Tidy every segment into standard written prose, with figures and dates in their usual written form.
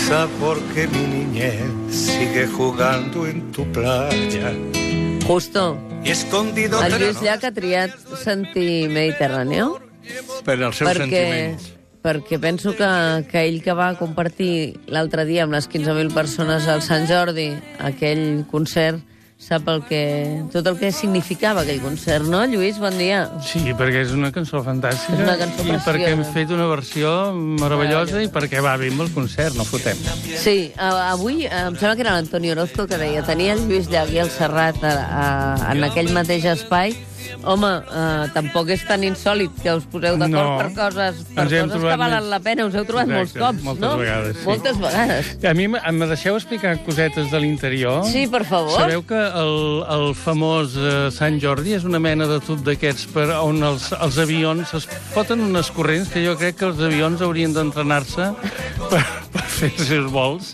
quizá porque mi niñez sigue jugando en tu playa. Justo. Y escondido... El Lluís Llach ha triat sentir Mediterráneo Per als seus sentiments. perquè penso que ell que va compartir l'altre dia amb les 15.000 persones al Sant Jordi aquell concert, sap tot el que significava aquell concert, no, Lluís? Bon dia. Sí, perquè és una cançó fantàstica. És una cançó preciosa. I perquè hem fet una versió meravellosa i perquè va bé amb el concert, no fotem. Sí, avui em sembla que era l'Antoni Orozco que deia tenia el Lluís Llach i el Serrat en aquell mateix espai. Home, tampoc és tan insòlid que us poseu d'acord per coses que valen la pena. Us heu trobat molts cops, no? Moltes vegades, sí. Moltes vegades. A mi me deixeu explicar cosetes de l'interior? Sí, per favor. Sabeu que el famós Sant Jordi és una mena de tub d'aquests on els avions es foten unes corrents que jo crec que els avions haurien d'entrenar-se per fer els seus vols.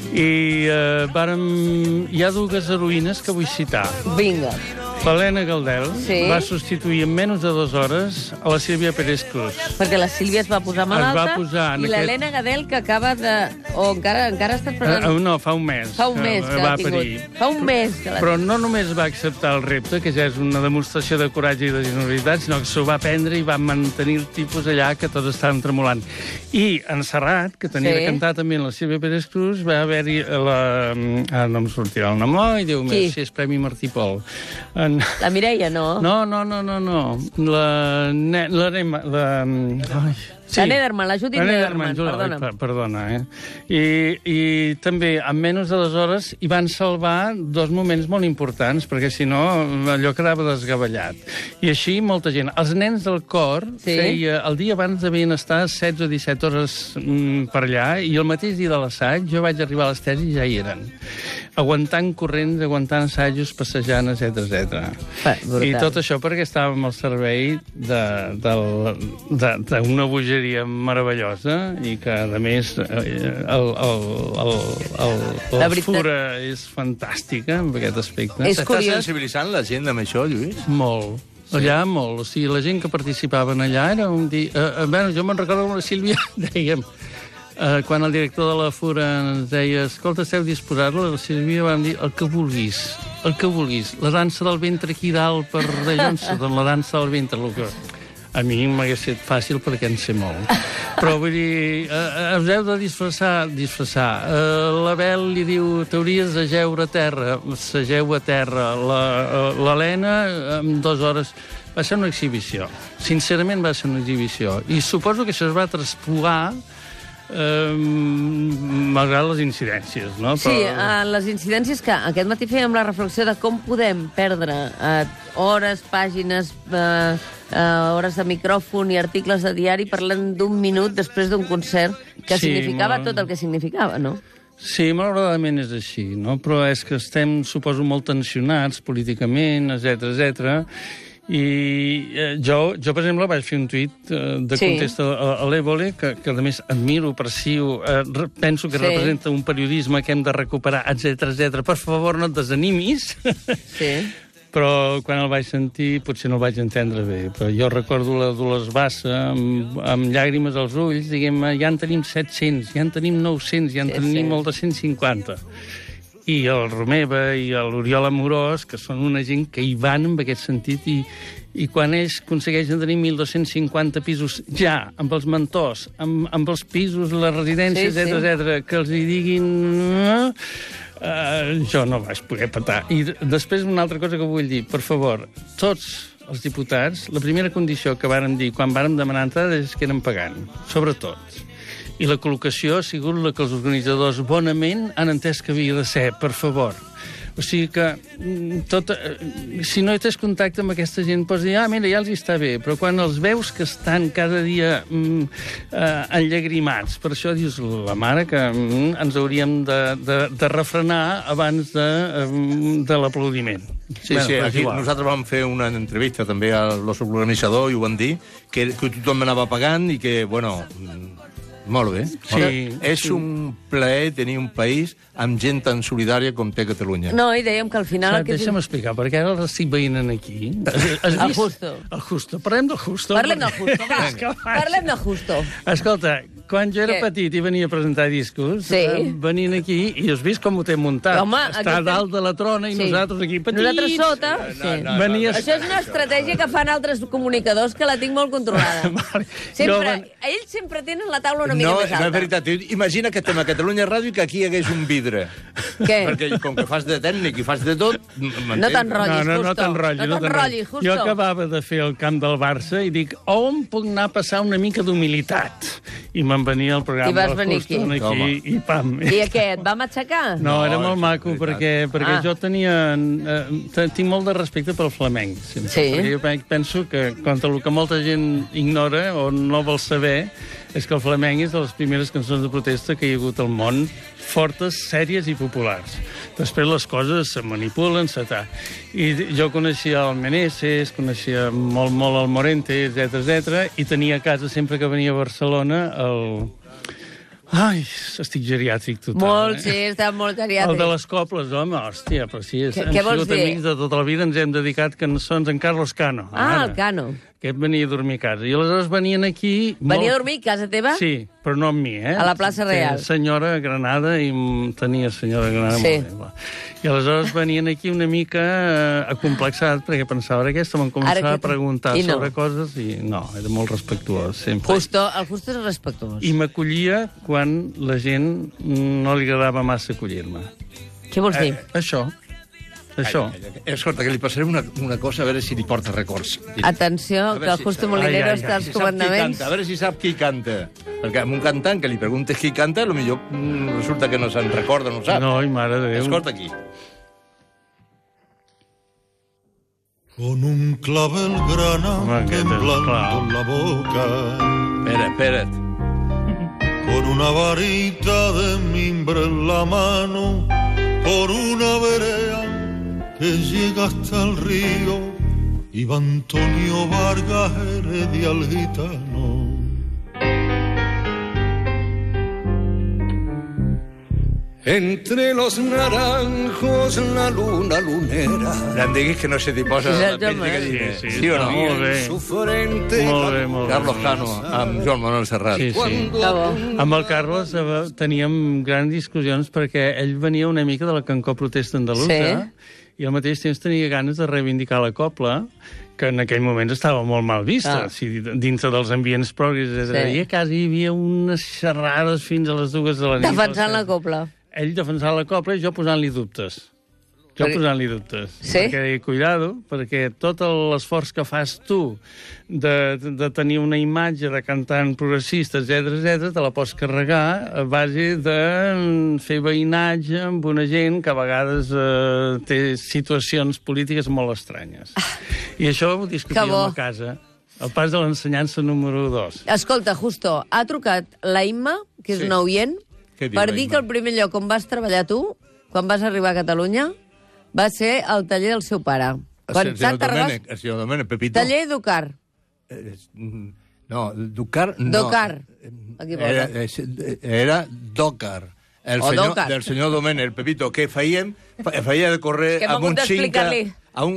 I hi ha dues heroïnes que vull citar. Vinga. L'Helena Galdel va substituir en menys de 2 hores a la Sílvia Pérez Cruz. Perquè la Sílvia es va posar malalta i l'Helena Galdel que acaba de... O encara ha estat prenent... No, fa un mes. Fa un mes que l'ha tingut. Fa un mes que l'ha tingut. Però no només va acceptar el repte, que ja és una demostració de coratge i de generositat, sinó que s'ho va prendre i va mantenir el tipus allà que tots estaven tremolant. I en Serrat, que tenia de cantar també la Sílvia Pérez Cruz, va haver-hi no em sortirà el nom, i Déu meu, si és Premi Martí Pol. La Mireia, no? No. La Nederman, la Judit Nederman, perdona. I també, en menys de 2 hores, hi van salvar 2 moments molt importants, perquè si no, allò quedava desgavellat. I així, molta gent. Els nens del cor feia... El dia abans devien estar 16 o 17 hores per allà, i el mateix dia de l'assaig jo vaig arribar a l'estès i ja hi eren. Aguantant corrents, aguantant assajos, passejant, etc. I tot això perquè estàvem al servei d'una bogeria meravellosa i que, a més, la fura és fantàstica en aquest aspecte. S'està sensibilitzant la gent amb això, Lluís? Molt. Allà molt. O sigui, la gent que participava allà era un dia... jo me'n recordo amb la Sílvia, dèiem... quan el director de la Fura ens deia escolta, esteu disposats? La Sílvia vam dir el que vulguis. La dansa del ventre aquí dalt per d'allò, la dansa del ventre, el que... A mi m'hagués estat fàcil perquè en sé molt. Però vull dir, us heu de disfressar. L'Abel li diu, t'hauries de jeure a terra. S'ageu a terra. L'Helena, en 2 hores... Va ser una exhibició. Sincerament va ser una exhibició. I suposo que això es va traspuar malgrat les incidències, no? Sí, les incidències que aquest matí fèiem la reflexió de com podem perdre hores, pàgines, hores de micròfon i articles de diari parlant d'un minut després d'un concert que significava tot el que significava, no? Sí, malauradament és així, no? Però és que estem, suposo, molt tensionats políticament, etc. I jo, per exemple, vaig fer un tuit de contesta a l'Évole, que a més admiro, aprecio, penso que representa un periodisme que hem de recuperar, etc. Per favor, no et desanimis. Sí. Però quan el vaig sentir potser no el vaig entendre bé. Però jo recordo la Dolors Bassa amb llàgrimes als ulls, diguem, ja en tenim 700, ja en tenim 900, ja en tenim molt de 150. I el Romeva i l'Oriol Amorós, que són una gent que hi van en aquest sentit, i quan ells aconsegueixen tenir 1.250 pisos ja, amb els mentors, amb els pisos, les residències, etc., que els hi diguin... jo no vaig poder petar. I després una altra cosa que vull dir, per favor, tots els diputats, la primera condició que vàrem dir quan vàrem demanar entrada és que eren pagant, sobretot. I la col·locació ha sigut la que els organitzadors bonament han entès que havia de ser, per favor. O sigui que si no tens contacte amb aquesta gent, pots dir, mira, ja els està bé, però quan els veus que estan cada dia enllagrimats, per això dius, la mare, que ens hauríem de refrenar abans de l'aplaudiment. Sí, aquí nosaltres vam fer una entrevista també a l'organitzador i ho van dir, que tothom anava pagant i que, bueno... Molt bé. Sí, és un plaer tenir un país amb gent tan solidària com té Catalunya. No, i dèiem que al final... Deixa'm explicar, perquè ara l'estic veient aquí. El Justo. El Justo. Parlem del Justo. Parlem del Justo, va. Parlem del Justo. Escolta, Quan jo era petit i venia a presentar discos, venien aquí i has vist com ho té muntat. Home, està a dalt de la trona i nosaltres aquí petits. Nosaltres sota. Això és una estratègia que fan altres comunicadors que la tinc molt controlada. Ells sempre tenen la taula una mica més alta. No, és veritat. Imagina que estem a Catalunya Ràdio i que aquí hi hagués un vidre. Què? Perquè com que fas de tècnic i fas de tot... No t'enrotllis, Justo. No t'enrotllis, Justo. Jo acabava de fer el camp del Barça i dic, on puc anar a passar una mica d'humilitat? I me'n venia al programa del Justo aquí i pam. I què, et vam aixecar? No, era molt maco, perquè jo tinc molt de respecte pel flamenc. Perquè jo penso que, contra el que molta gent ignora o no vol saber, és que el flamenc és de les primeres cançons de protesta que hi ha hagut al món, fortes, sèries i populars. Després les coses se manipulen, I jo coneixia el Meneses, coneixia molt el Morente, etc. I tenia a casa, sempre que venia a Barcelona, Ai, estic geriàtric total. Molt, sí, està molt geriàtric. El de les cobles, home, hòstia, però sí, hem sigut amics de tota la vida, ens hem dedicat cançons en Carlos Cano. El Cano. Que venia a dormir a casa. I aleshores venien aquí... Venia a dormir a casa teva? Sí, però no amb mi, A la plaça Real. Senyora Granada, i tenia senyora Granada molt bé. I aleshores venien aquí una mica acomplexat, perquè pensava, ara aquesta m'han començat a preguntar sobre coses, i no, era molt respectuós, sempre. El Justo és respectuós. I m'acollia quan la gent no li agradava massa acollir-me. Què vols dir? Això. Escolta, que li passaré una cosa, a veure si li porta records. Atenció, que el Justo Molinero està als comandaments. A veure si sap qui canta. Perquè amb un cantant que li preguntes qui canta, potser resulta que no se'n recorda, no ho sap. No, i mare de Déu. Escolta aquí. Con un clavel grana temblando en la boca. Espera't. Con una varita de mimbre en la mano, por una vereda que llega hasta el río, iba Antonio Vargas Heredia el gitano. Entre los naranjos la luna lunera. Em diguis que no se t'hi posa la pell de gallina. Sí o no? Molt bé. Carlos Cano, amb Joan Manuel Serrat. Sí. Amb el Carlos teníem grans discussions perquè ell venia una mica de la Cancó Protesta Andalusa i al mateix temps tenia ganes de reivindicar la copla, que en aquell moment estava molt mal vista, dintre dels ambients progres, i a casa hi havia unes xerrades fins a les 2 de la nit. Defensant la copla. Ell defensant la copla i jo posant-li dubtes. Sí? Perquè, cuidado, perquè tot l'esforç que fas tu de tenir una imatge de cantant progressista, etc., te la pots carregar a base de fer veïnatge amb una gent que a vegades té situacions polítiques molt estranyes. I això ho discutíem a casa. El pas de l'ensenyança número 2. Escolta, Justo, ha trucat la Imma, que és una oient, per dir que el primer lloc on vas treballar tu, quan vas arribar a Catalunya, va ser el taller del seu pare. El senyor Domènec, Pepito. Taller Ducar. No, Ducar no. Docar. Aquí era Docar. Del senyor Domènec, Pepito, que feia de córrer amb un 5K amb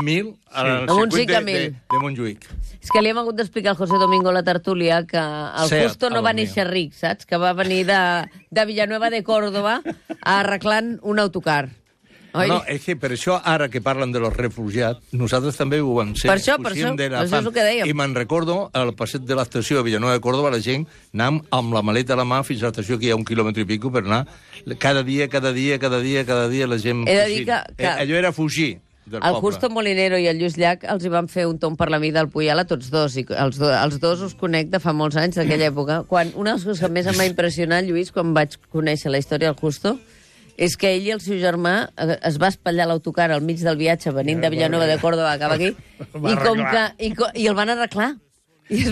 1.000 al circuit de Montjuïc. És que li hem hagut d'explicar al José Domingo la tertúlia que el Justo no va néixer ric, saps? Que va venir de Villanueva de Córdoba arreglant un autocar. No, és que per això, ara que parlen de los refugiats, nosaltres també ho vam ser. Per això és el que dèiem. I me'n recordo, al passeig de l'estació de Villanueva de Córdoba, la gent anàvem amb la maleta a la mà fins a l'estació, que hi ha 1 quilòmetre i pico, per anar cada dia, la gent fugint. Allò era fugir del poble. El Justo Molinero i el Lluís Llach els hi van fer un tomb per la vida del Puyal a tots dos, i els dos us conec de fa molts anys, d'aquella època. Una de les coses que més em va impressionar, Lluís, quan vaig conèixer la història del Justo, és que ell i el seu germà es va espatllar l'autocar al mig del viatge venint de Villanueva de Córdoba cap aquí i el van arreglar. I el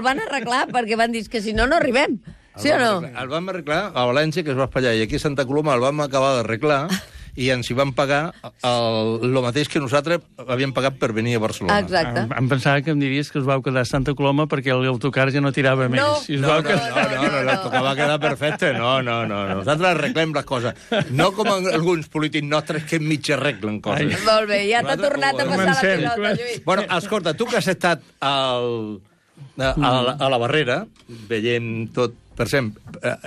van arreglar perquè van dir que si no, no arribem. Sí o no? El vam arreglar a València, que es va espatllar, i aquí a Santa Coloma el vam acabar d'arreglar i ens hi van pagar el mateix que nosaltres havíem pagat per venir a Barcelona. Exacte. Em pensava que em diries que us vau quedar a Santa Coloma perquè l'autocar ja no tirava més. No, l'autocar va quedar perfecte. No. Nosaltres arreglem les coses. No com alguns polítics nostres que mig arreglen coses. Molt bé, ja t'ha tornat a passar la pilota, Lluís. Bueno, escolta, tu que has estat al a la Barrera, veient tot, per exemple,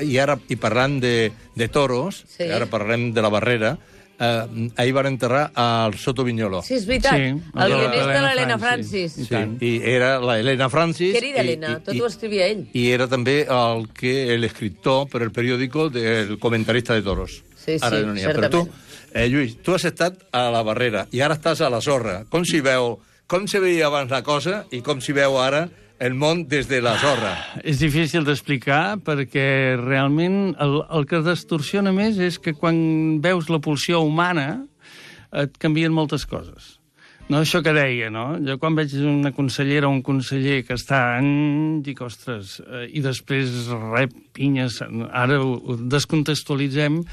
i parlant de toros, ara parlem de la Barrera, ahir van enterrar al Soto Viñolo. Sí, és veritat. El guionista de l'Helena Francis. Sí, i era l'Helena Francis. Querida Helena, tot ho escrivia ell. I era també l'escriptor per el periòdico del comentarista de toros. Sí, certament. Però tu, Lluís, tu has estat a la Barrera i ara estàs a la sorra. Com se veia abans la cosa i com s'hi veu ara el món des de la sorra? És difícil d'explicar perquè realment el que distorsiona més és que quan veus la pulsió humana et canvien moltes coses. No, això que deia, no? Jo quan veig una consellera o un conseller que està dic, ostres, i després rep pinyes, ara ho descontextualitzem,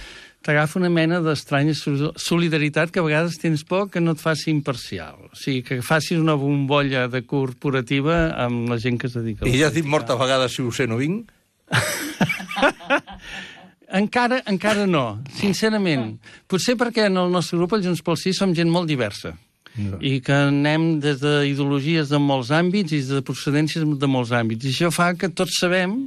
t'agafa una mena d'estranya solidaritat que a vegades tens por que no et faci imparcial. O sigui, que facis una bombolla de corporativa amb la gent que es dedica a la política. I ja has dit moltes vegades si ho sé no vinc? Encara no, sincerament. Potser perquè en el nostre grup, el Junts pel Sí, som gent molt diversa. I que anem des d'ideologies de molts àmbits i de procedències de molts àmbits. I això fa que tots sabem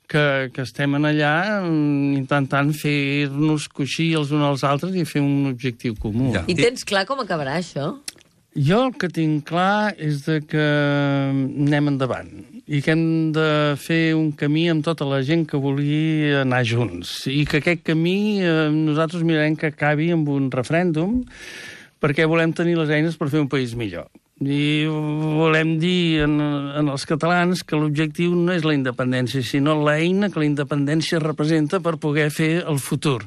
que estem allà intentant fer-nos coixir els uns als altres i fer un objectiu comú. Ja. I tens clar com acabarà això? Jo el que tinc clar és que anem endavant i que hem de fer un camí amb tota la gent que vulgui anar junts. I que aquest camí nosaltres mirarem que acabi amb un referèndum perquè volem tenir les eines per fer un país millor. I volem dir en els catalans que l'objectiu no és la independència, sinó l'eina que la independència representa per poder fer el futur.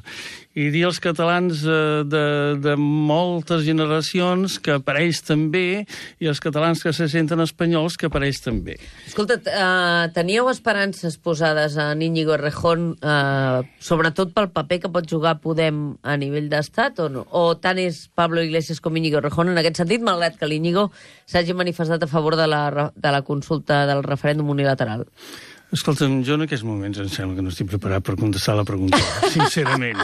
I dir als catalans de moltes generacions que per ells també, i als catalans que se senten espanyols que per ells també. Escolta, teníeu esperances posades en Íñigo Errejón, sobretot pel paper que pot jugar Podem a nivell d'estat, o no? O tant és Pablo Iglesias com Íñigo Errejón en aquest sentit, malgrat que l'Íñigo s'hagi manifestat a favor de la consulta del referèndum unilateral? Escolta'm, jo en aquests moments em sembla que no estic preparat per contestar la pregunta, sincerament.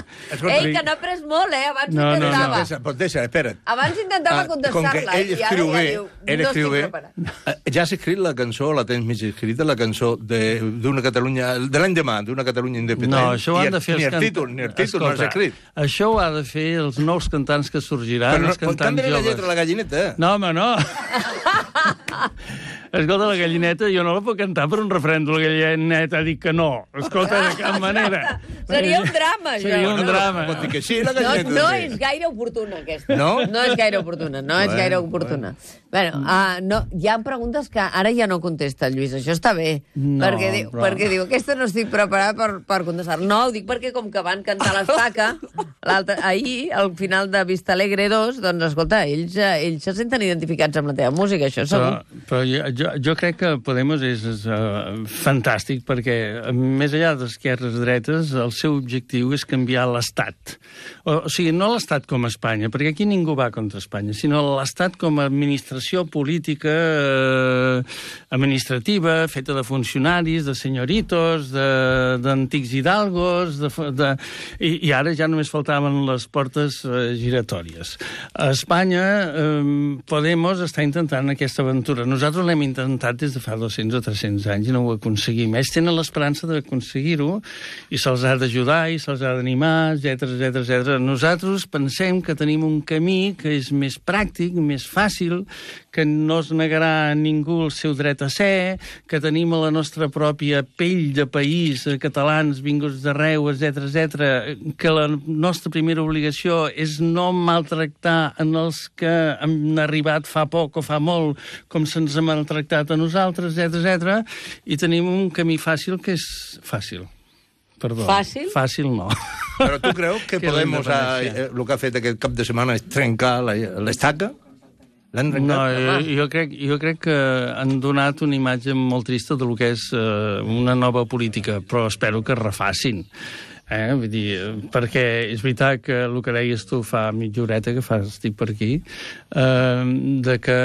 Ei, que n'ha après molt, Abans intentava. Pues deixa, espera't. Abans intentava contestar-la. Com que ell escriu bé, no ja has escrit la cançó, la tens mig escrita, la cançó d'una Catalunya, de l'any demà, d'una Catalunya independent. No, això ho han de fer els cantants. Ni el títol no has escrit. Això ho ha de fer els nous cantants que sorgiran, els cantants joves. Però canvia la lletra a la gallineta. No, home, no. Escolta, la gallineta jo no la puc cantar per un referèndum. La gallineta ha dit que no. Escolta, de cap manera. Seria un drama, això. Seria un drama. Pot dir que sí, la gallineta. No és gaire oportuna, aquesta. No? No és gaire oportuna, Bueno, hi ha preguntes que ara ja no contesta el Lluís. Això està bé. Perquè diu, aquesta no estic preparat per contestar. No, ho dic perquè com que van cantar l'Estaca ahir, al final de Vista Alegre 2, doncs, escolta, ells se senten identificats amb la teva música, això segur. Però jo crec que Podemos és fantàstic perquè, més enllà d'esquerres dretes, el seu objectiu és canviar l'Estat. O sigui, no l'Estat com a Espanya, perquè aquí ningú va contra Espanya, sinó l'Estat com a administració política administrativa, feta de funcionaris, de senyoritos, d'antics hidalgos, i ara ja només faltaven les portes giratòries. A Espanya, Podemos està intentant aquesta aventura. Nosaltres l'hem intentat des de fa 200 o 300 anys i no ho aconseguim. Ells tenen l'esperança d'aconseguir-ho i se'ls ha d'ajudar i se'ls ha d'animar, etc. Nosaltres pensem que tenim un camí que és més pràctic, més fàcil, que no es negarà a ningú el seu dret a ser, que tenim a la nostra pròpia pell de país, catalans vinguts d'arreu, etc., que la nostra primera obligació és no maltractar en els que han arribat fa poc o fa molt, com se'ns ha maltractat a nosaltres, etc. I tenim un camí fàcil que és fàcil. Perdó. Fàcil? Fàcil no. Però tu creus que Podemos, el que ha fet aquest cap de setmana és trencar l'Estaca? No, jo crec que han donat una imatge molt trista del que és una nova política, però espero que es refacin. Vull dir, perquè és veritat que el que deies tu fa mitja horeta que estic per aquí, de que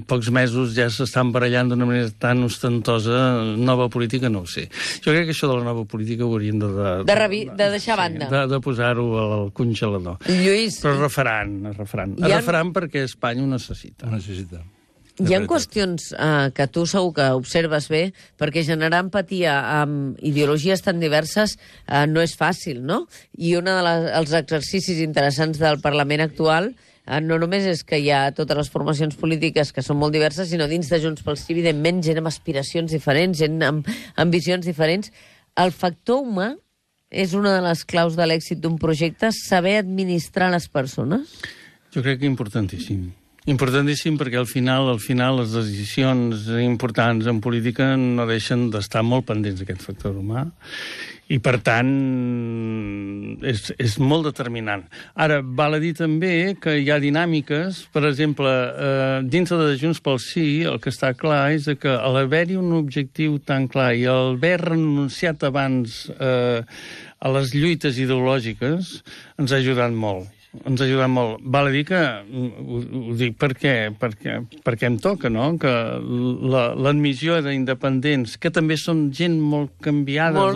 pocs mesos ja s'estan barallant d'una manera tan ostentosa nova política, no ho sé. Jo crec que això de la nova política ho haurien de deixar a banda. De posar-ho al congelador. Lluís... Però es refaran. Es refaran perquè Espanya ho necessita. Hi ha qüestions que tu segur que observes bé, perquè generar empatia amb ideologies tan diverses no és fàcil, no? I un dels exercicis interessants del Parlament actual no només és que hi ha totes les formacions polítiques que són molt diverses, sinó dins de Junts pel Sí, evidentment, gent amb aspiracions diferents, gent amb ambicions diferents. El factor humà és una de les claus de l'èxit d'un projecte, saber administrar les persones? Jo crec que importantíssim. Importantíssim perquè al final les decisions importants en política no deixen d'estar molt pendents d'aquest factor humà i, per tant, és molt determinant. Ara, val a dir també que hi ha dinàmiques, per exemple, dins de Junts pel Sí, el que està clar és que a l'haver-hi un objectiu tan clar i haver renunciat abans a les lluites ideològiques ens ha ajudat molt. Ens ha ajudat molt. Val a dir que, ho dic perquè em toca, no?, que l'admissió d'independents, que també són gent molt canviada,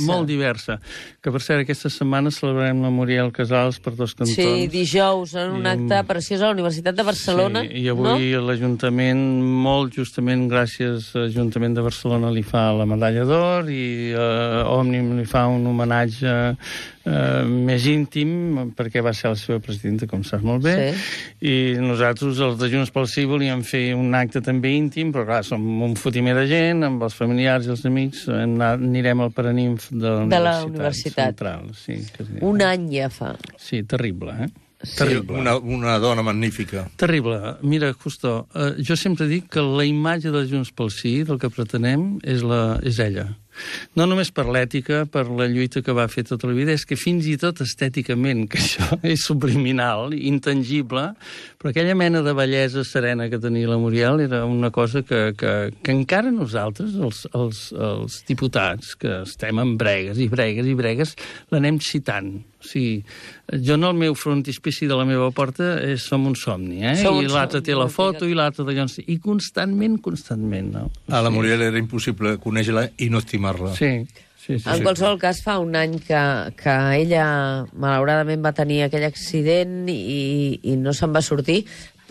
molt diversa, que per cert aquesta setmana celebrarem la Muriel Casals per dos cantons. Sí, dijous, en un acte preciós a la Universitat de Barcelona. Sí, i avui l'Ajuntament, molt justament gràcies a l'Ajuntament de Barcelona, li fa la medalla d'or i Òmnium li fa un homenatge més íntim, perquè va ser la seva presidenta, com saps molt bé, i nosaltres, els de Junts pel Sí, volíem fer un acte també íntim, però clar, som un fotimer de gent, amb els familiars i els amics, anirem al Paraninf de la Universitat Central. Sí, un any ja fa. Sí, terrible, Terrible. Una dona magnífica. Terrible. Mira, Justo, jo sempre dic que la imatge de Junts pel Sí, del que pretenem, és ella. No només per l'ètica, per la lluita que va fer tota la vida, és que fins i tot estèticament, que això és subliminal, intangible, però aquella mena de bellesa serena que tenia la Muriel era una cosa que encara nosaltres, els diputats, que estem en bregues i bregues i bregues, l'anem citant. O sigui, jo en el meu frontispici de la meva porta som un somni, i l'altre té la foto i l'altre d'allò... I constantment, no? A la Muriel era impossible conèixer-la i no estimar-la. Sí. En qualsevol cas, fa un any que ella, malauradament, va tenir aquell accident i no se'n va sortir,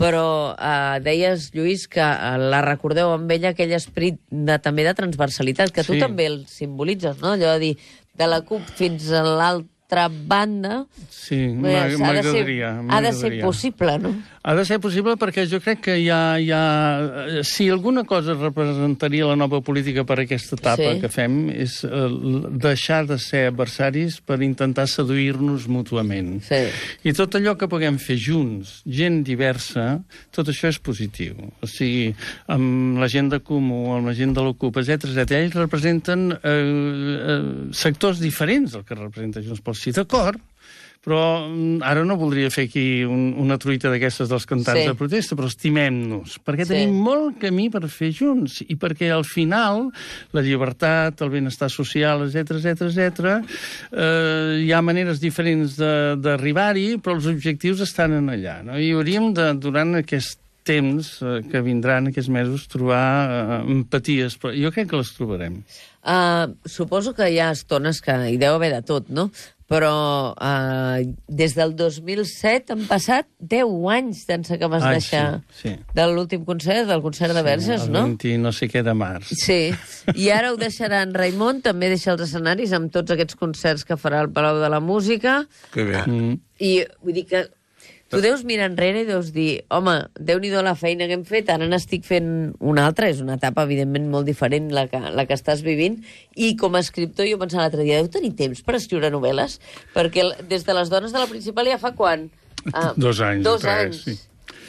però deies, Lluís, que la recordeu amb ella aquell esperit també de transversalitat, que tu també el simbolitzes, no? Allò de dir, de la CUP fins a l'altra banda, sí, m'agradaria. Ha de ser possible, no? Ha de ser possible perquè jo crec que hi ha... Si alguna cosa representaria la nova política per aquesta etapa que fem és deixar de ser adversaris per intentar seduir-nos mútuament. Sí. I tot allò que puguem fer junts, gent diversa, tot això és positiu. O sigui, amb la gent de Comú, amb la gent de l'Ocupa, etc. Ells representen sectors diferents del que representa Junts pel Sí, d'acord, però ara no voldria fer aquí una truita d'aquestes dels cantants de protesta, però estimem-nos, perquè tenim molt camí per fer junts, i perquè al final la llibertat, el benestar social, etc., hi ha maneres diferents d'arribar-hi, però els objectius estan en allà, no? I hauríem de, durant aquest temps que vindran, aquests mesos, trobar empaties, però jo crec que les trobarem. Suposo que hi ha estones que hi deu haver de tot, no? Però des del 2007 han passat 10 anys d'ençà que vas deixar de l'últim concert, del concert de Verges, no? El 20 no sé què de març. Sí, i ara ho deixaran. Raimon també deixa els escenaris amb tots aquests concerts que farà al Palau de la Música. Que bé. I vull dir que tu deus mirar enrere i deus dir, home, Déu-n'hi-do la feina que hem fet, ara n'estic fent una altra, és una etapa, evidentment, molt diferent la que estàs vivint, i com a escriptor jo pensava l'altre dia, deu tenir temps per escriure novel·les? Perquè des de Les dones de la principal ja fa quan? 2 anys. 2 anys. Sí.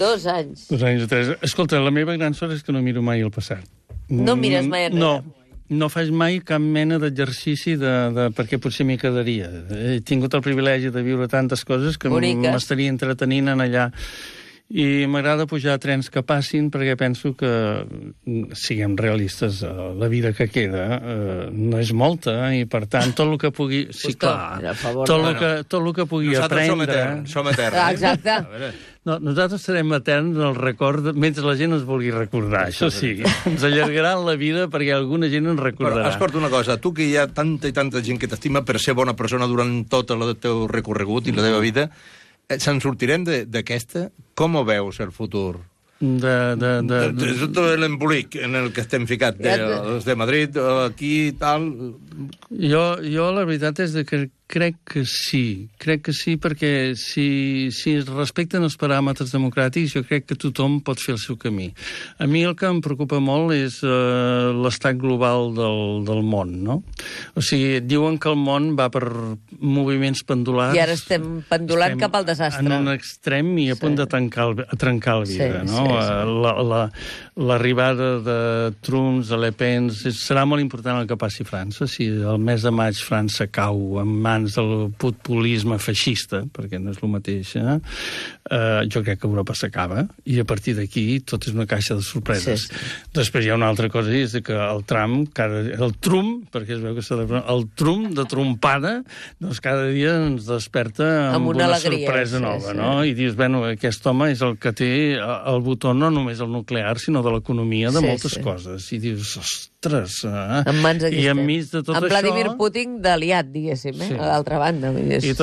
2 anys. 2 anys o 3. Escolta, la meva gran sort és que no miro mai el passat. No mires mai enrere? No faig mai cap mena d'exercici perquè potser m'hi quedaria. He tingut el privilegi de viure tantes coses que m'estaria entretenint en allà. I m'agrada pujar a trens que passin perquè penso que, siguem realistes, la vida que queda no és molta i, per tant, tot el que pugui... Sí, clar, tot el que pugui aprendre... Som eterns. Exacte. No, nosaltres serem eterns en el record mentre la gent ens vulgui recordar, això sí. Ens allargaran la vida perquè alguna gent ens recordarà. Però, escolta una cosa, tu que hi ha tanta i tanta gent que t'estima per ser bona persona durant tot el teu recorregut i la teva vida, se'n sortirem d'aquesta? Com ho veus, el futur? És tot l'embolic en el que estem ficat, els de Madrid, aquí i tal... Jo la veritat és que crec que sí, perquè si es respecten els paràmetres democràtics, jo crec que tothom pot fer el seu camí. A mi el que em preocupa molt és l'estat global del món, no? O sigui, diuen que el món va per moviments pendulars... I ara estem pendulant cap al desastre. En un extrem i a punt de trencar el vidre, no? L'arribada de Trump, de Le Pen, serà molt important el que passi a França. Si el mes de maig França cau en mans del populisme feixista, perquè no és el mateix, jo crec que Europa s'acaba, i a partir d'aquí tot és una caixa de sorpreses. Després hi ha una altra cosa, és que el Trump, perquè es veu que celebra el Trump de trompada, doncs cada dia ens desperta amb una sorpresa nova, no? I dius, bueno, aquest home és el que té el botó no només el nuclear, sinó de l'economia de moltes coses. I dius, ostres... En mans aquí I enmig de tot això... Amb Vladimir Putin d'aliat, diguéssim, a l'altra banda. I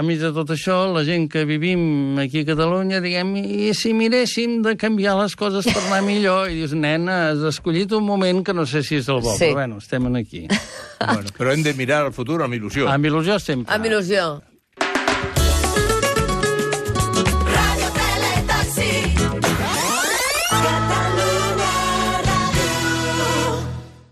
enmig de tot això, la gent que vivim aquí a Catalunya, diguem, i si miréssim de canviar les coses per anar millor? I dius, nena, has escollit un moment que no sé si és el bo, però bueno, estem aquí. Però hem de mirar al futur amb il·lusió. Amb il·lusió sempre. Amb il·lusió.